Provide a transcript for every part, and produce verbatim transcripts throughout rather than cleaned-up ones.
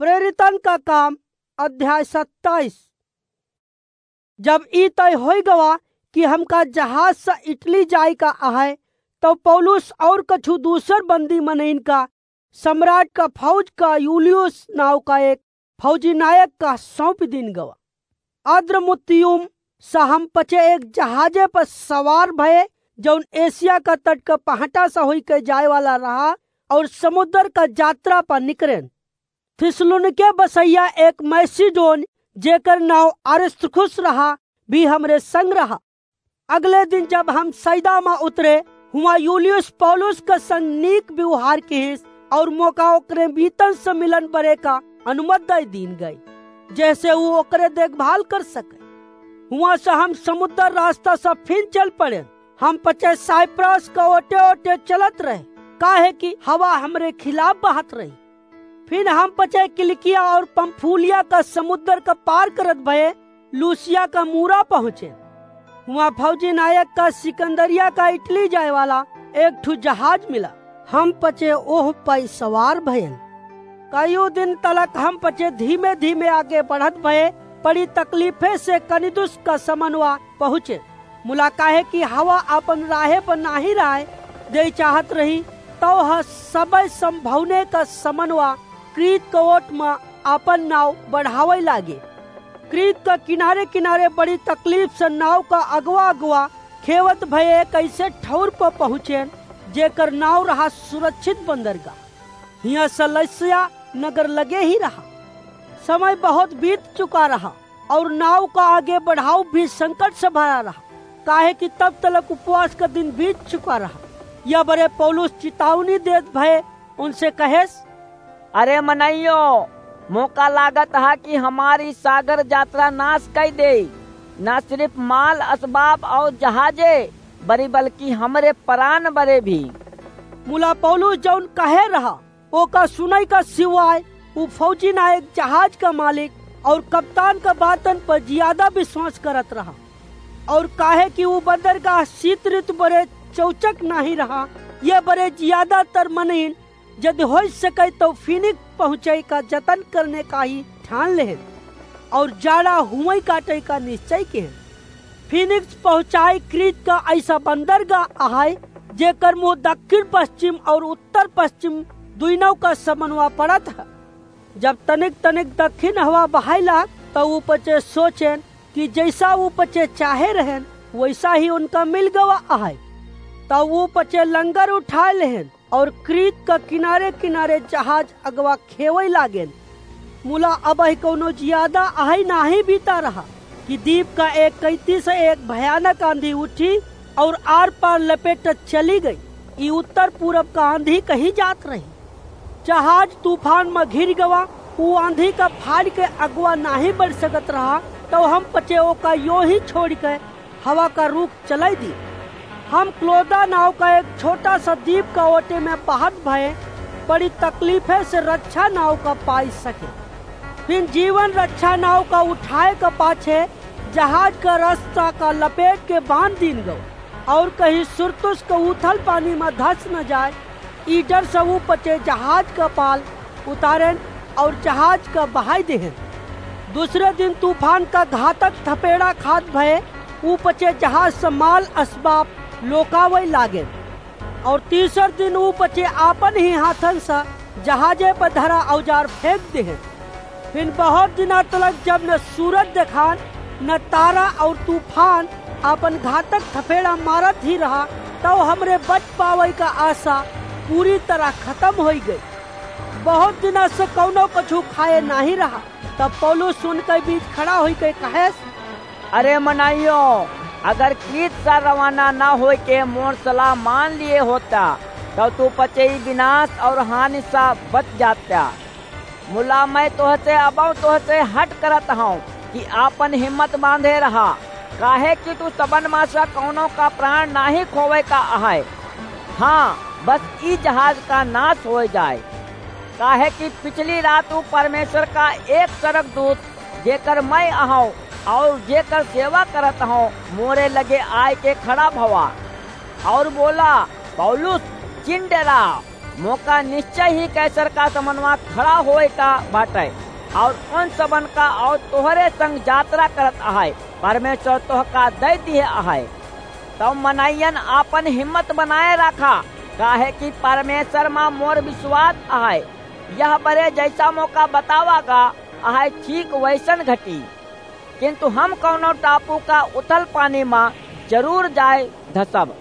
प्रेरितन का काम, अध्याय सत्ताईस। जब ई तय होइ गवा कि हमका जहाज से इटली जाए का अहै, तब पौलुस और कछु दूसर बंदी मनइन का सम्राट का फौज का यूलियुस नाव का एक फौजी नायक का सौंप दीन गवा। अद्रमुत्तियुम से हम पचे एक जहाजे पर सवार भये, जौन एशिया का तट का पहाटा से होई के जाए वाला रहा और समुद्र का यात्रा पर निकरेन। थिस्सलुनीके बसैया एक मैसिडोन, जेकर नाव अरिस्तर्खुस रहा, भी हमरे संग रहा। अगले दिन जब हम सैदा मा उतरे, हुआं यूलियुस पौलुस का संग नीक व्यवहार किहिस और मोका ओकरे बीतन से मिलन बरे का अनुमति दे दीन गई, जैसे ऊ ओकरे देखभाल कर सके। हुआं से हम समुद्र रास्ता से फिर चल पड़े। हम पचे साइप्रस का ओटे ओटे चलत रहे, काहे कि हवा हमरे खिलाफ बहत रही। फिर हम पचे किलिकिया और पंफूलिया का समुद्र का पार करत भये लूसिया का मूरा पहुँचे। हुआं फौजी नायक का सिकंदरिया का इटली जाए वाला एक ठु जहाज मिला। हम पचे ओह पै सवार भयन। कईयों दिन तलक हम पचे धीमे धीमे आगे बढ़त भये, बड़ी तकलीफे से कनिदुस का समनवा पहुँचे। मुला काहे कि हवा आपन राहे पर नाही राय दे चाहत रही, तौ ह सबय संभौने का समनवा क्रीत का ओट मा आपन नाव बढ़ावै लागे। क्रीत का किनारे किनारे बड़ी तकलीफ से नाव का अगवा अगवा खेवत भये कैसे ठौर पर पहुँचेन, जेकर नाव रहा सुरक्षित बंदरगाह। हियां से लस्या नगर लगे ही रहा। समय बहुत बीत चुका रहा और नाव का आगे बढ़ाव भी संकट से भरा रहा, काहे कि तब तलक उपवास का दिन बीत चुका रहा। या बरे पौलुस चितावनी देत भये उनसे कहेस, अरे मनइयो, मोका लागत हा कि हमारी सागर यात्रा नाश कई देई, ना सिर्फ माल असबाब और जहाजे बरी, बल्कि हमरे परान बरे भी। मुला पौलुस जौन कहे रहा, ओका सुनई का सिवाय उ फौजी नायक, जहाज का मालिक और कप्तान का बातन पर जियादा विश्वास करत रहा। और काहे कि उ बंदरगाह शीत ऋतु बरे चौचक नाही रहा, ये बरे जियादातर मनइन जदि होइ सके तो फीनिक्स पहुँचै का जतन करने का ही ठान लेहेन और जाड़ा हुवै काटै का निश्चय किहेन। फीनिक्स पहुँचाई क्रीत का ऐसा बंदरगाह अहै, जेकर मुँह दक्षिण पश्चिम और उत्तर पश्चिम दुइनौ का समनवा पड़त है। जब तनिक तनिक दक्षिण हवा बहाय लाग, तौ उ पचे सोचेन कि जैसा उ पचे चाहे रहेन, वैसा ही उनका मिल गवा अहै। तौ उ पचे लंगर उठाय लेहेन और क्रीत का किनारे किनारे जहाज अगवा खेवै लागेन। मुला अबही कौनो जियादा अहै नाही बीता रहा कि दीप का एक कैंती से एक भयानक आंधी उठी और आर पार लपेटत चली गई। ई उत्तर पूरब का आंधी कहीं जात रही। जहाज तूफान में घिर गवा। ऊ आंधी का फाड़ के अगवा नाही बढ़ सकत रहा, तौ हम पचे ओका यो ही छोड़ के हवा का रुख चलाई दी। हम क्लोदा नाव का एक छोटा सा दीप का ओटे में बहत भये बड़ी तकलीफे से रक्षा नाव का पाई सके। फिर जीवन रक्षा नाव का उठाए का पाछे जहाज का रस्ता का लपेट के बांध दीन गवा और कहीं सुरतुस का उथल पानी में धस न जाए, ई डर से ऊ पचे जहाज का पाल उतारेन और जहाज का बहाई देहेन। दूसरे दिन तूफान का घातक थपेड़ा खात भये ऊ पचे जहाज से माल असबाब लोकावै लागेन। और तीसर दिन ऊ पचे आपन ही हाथन से जहाजे पर धरा औजार फेंक देहेन। फिर बहुत दिना तलक जब न सूरज देखान, न तारा और तूफान आपन घातक थपेड़ा मारत ही रहा, तौ हमरे बच पावै का आशा पूरी तरह खतम होइ गई। बहुत दिना से कौनो कछु खाए नाही रहा। तब पौलुस उनके बीच खड़ा होई के कहेस, अरे मनइयो, अगर क्रीत सा रवाना न होई के मोर सलाह मान लिए होता, तब तू पचई विनाश और हानि सा बच जाता। मुला मैं तोहसे अबौ तोहसे हट करत हौं कि आपन हिम्मत बांधे रहा, काहे कि तू सबन मा से कौनो का प्राण नाही खोवे का अहै। हाँ, बस ई जहाज का नाश होइ जाए, काहे कि पिछली रात ऊ परमेश्वर का एक सरगदूत, जेकर मैं अहौं और जेकर सेवा करत हौं, मोरे लगे आय के खड़ा भवा और बोला, पौलुस, चिन डेरा, मोका निश्चय ही कैसर का समनवा खड़ा होए का बाटे, और उन सबन का और तोहरे संग यात्रा करत अहै, परमेश्वर तोहका दे दिए अहै। तब मनइयन आपन हिम्मत बनाए रखा, काहे कि परमेश्वर मा मोर विश्वास अहै। यह बरे जैसा मोका बतावा गा अहै, ठीक वैसन घटी। किंतु हम कौनो टापू का उथल पानी मा जरूर जाए धसब।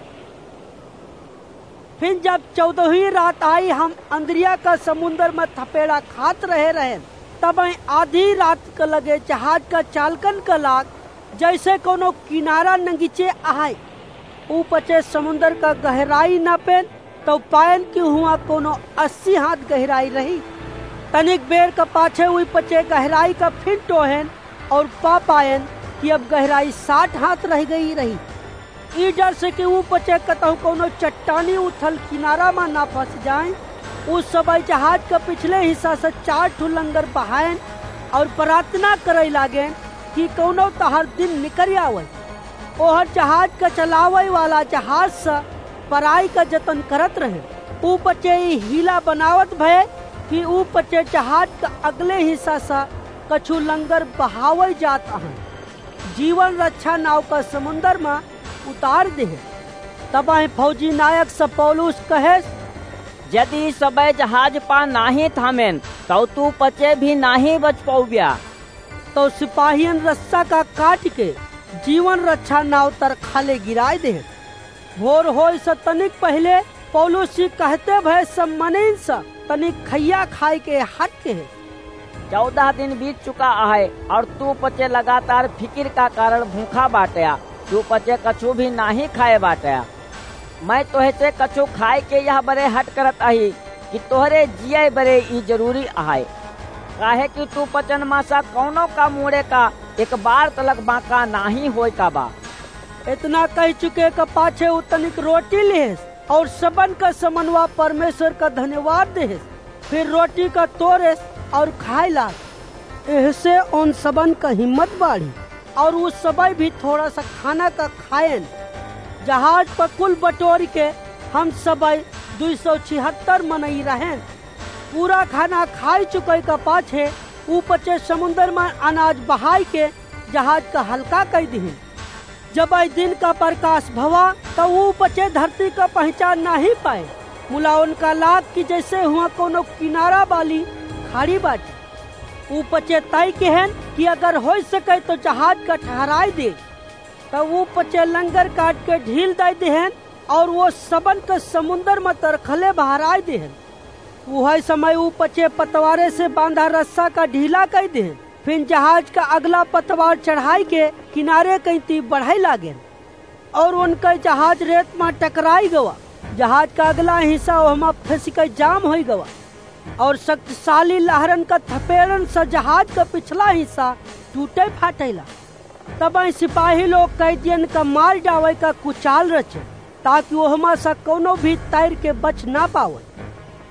फिर जब चौदहवीं रात आई, हम अंद्रिया का समुंदर में थपेड़ा खात रहे रहेन। तब आधी रात के लगे जहाज का चालकन का लाग, जैसे कोनो किनारा नगीचे आए। ऊ पचे समुंदर का गहराई नापेन, तो पाएन कि हुआ कोनो अस्सी हाथ गहराई रही। तनिक बेर का पाछे ऊ पचे गहराई का फिर टोहेन और पा पाएन कि अब गहराई साठ हाथ रह गई रही। ई डर से कि ऊ पचे कतहु कोनो चट्टानी उथल किनारा मा ना फंस जाए, ऊ सबई जहाज का पिछले हिस्सा से चार ठो लंगर बहाएन और प्रार्थना करे लागेन कि कौनो तहार दिन निकल आवे। ओहर जहाज का चलावे वाला जहाज से पराई का जतन करत रहे। ऊ पचे ई हीला बनावत भए कि ऊ पचे जहाज का अगले हिस्सा से कछु लंगर बहावे जात अहन। जीवन रक्षा नाव का समुंदर में उतार देहे। तबाही फौजी नायक से पौलुस कहेस, यदि सबे जहाज पा नाही थामेन, तौ तू पचे भी नाही बच पौब्या। तो सिपाहियन रस्सा का काट के जीवन रक्षा नाव तर खाले गिराए देहे। भोर होए से तनिक पहले पौलुस जी कहते भए सब मनइन से तनिक खैया खाए के हट के है। चौदह दिन बीत चुका आहे और तू पचे लगातार फिकिर का कारण भूखा बाटया। तू पचे कछु भी नाही खाए बाटया। मैं तोहसे कछु खाए के यह बरे हट करत अही कि तोहरे जिए बरे ई जरूरी आहे, काहे कि तू पचन मासा कौनो का मूड़े का एक बार तलक बांका नाही होए का बा। इतना कह चुके का पाछे उ तनिक रोटी लेस और सबन का समनवा परमेश्वर का धन्यवाद देस, फिर रोटी का तोड़ेस और खाए लाग। एहसे उन सबन का हिम्मत बाढ़ी और उ सबई भी थोड़ा सा खाना का खाएन। जहाज पर कुल बटोर के हम सबई दुई सौ छिहत्तर मनई रहेन। पूरा खाना खाए चुके का पाछे उ पचे समुंदर में अनाज बहाई के जहाज का हल्का कई दिहिन। जब आई दिन का प्रकाश भवा, त ऊ पचे धरती का पहचान नाही पाए। मुला उनका लाग कि जैसे हुआ कोनो किनारा वाली खाड़ी बाटी। ऊ पचे तय केहेन कि अगर हो सके तो जहाज का ठहराए दे। तब ऊ पचे लंगर काट के ढील दे देहेन और वो सबन के समुंदर में तरखले बहराए देहेन। उहै समय ऊ पचे पतवारे से बांधा रस्सा का ढीला कई देहेन। फिर जहाज का अगला पतवार चढ़ाई के किनारे कई ती बढ़ाई लागेन और उनका जहाज रेत में टकराई गवा। जहाज का अगला हिस्सा ओहमा फंस के जाम होई गवा और शक्तिशाली लहरन का थपेड़न से जहाज का पिछला हिस्सा टूटे फाटेला। तब सिपाही लोग कैदियन का मार डावे का कुचाल रचे, ताकि ओहमा से कोनो भी तैर के बच ना पावे।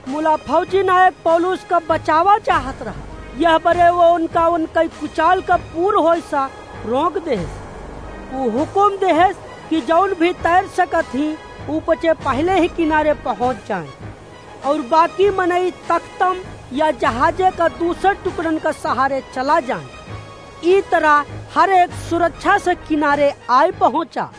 मुला फौजी नायक पौलुस का बचावा चाहत रहा, यह बरे वो उनका उनका कुचाल का पूर होए सा रोक देहेस। वो हुकुम देहेस कि जौन भी तैर सकत ही, ऊ पचे पहले ही किनारे पहुंच जाए और बाकी मनई तख्तम या जहाजे का दूसर टुकड़न का सहारे चला जाए। ई तरह हर एक सुरक्षा से किनारे आए पहुंचा।